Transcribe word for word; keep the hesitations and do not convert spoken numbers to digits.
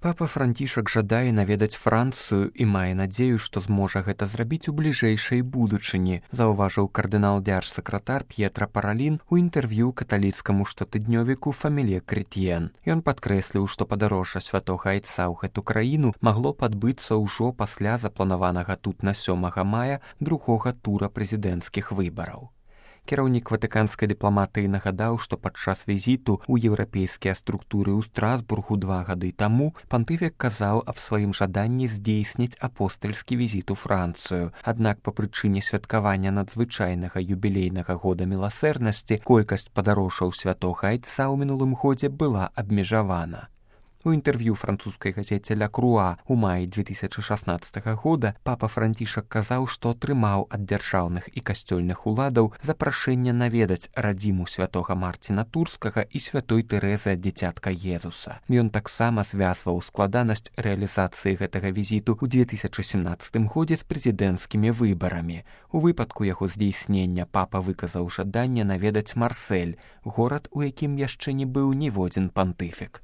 Папа Францішак жадае наведаць Францыю і мае надзею, што зможа гэта зрабіць у бліжэйшай будучыні, заўважыў кардынал дзяржсакратар П'етра Паралін у інтэрв'ю каталіцкаму штотыднёвіку «Фаміле Крэтьен». Ён падкрэсліў, што падарожжа святога айца ў гэту краіну магло падбыцца ўжо пасля запланаванага тут на сёмага мая другога тура прэзідэнцкіх выбараў. Кіраўнік ватыканскай дыпламатыі нагадаў, што падчас візіту ў еўрапейскія структуры ў Страсбургу два гады таму пантыфік казаў аб сваім жаданні здзейсніць апостальскі візіт у Францыю. Аднак па прычыне святкавання надзвычайнага юбілейнага года міласэрнасці колькасць падарожжаў святога айца ў мінулым годзе была абмежавана. У інтэрв'ю французскай газеце «Ля Круа» у маі две тысячы шаснаццатага года папа Францішак казаў, што атрымаў ад дзяржаўных і касцёльных уладаў запрашэнне наведаць радзіму святога Марціна Турскага і святой Тэрэзы ад дзіцятка Езуса. Ён таксама звязваў складанасць рэалізацыі гэтага візіту ў две тысячы семнаццатым годзе з прэзідэнцкімі выбарамі. У выпадку яго здзейснення папа выказаў жаданне наведаць Марсель, горад, у якім яшчэ не быў ніводзін пантыфік.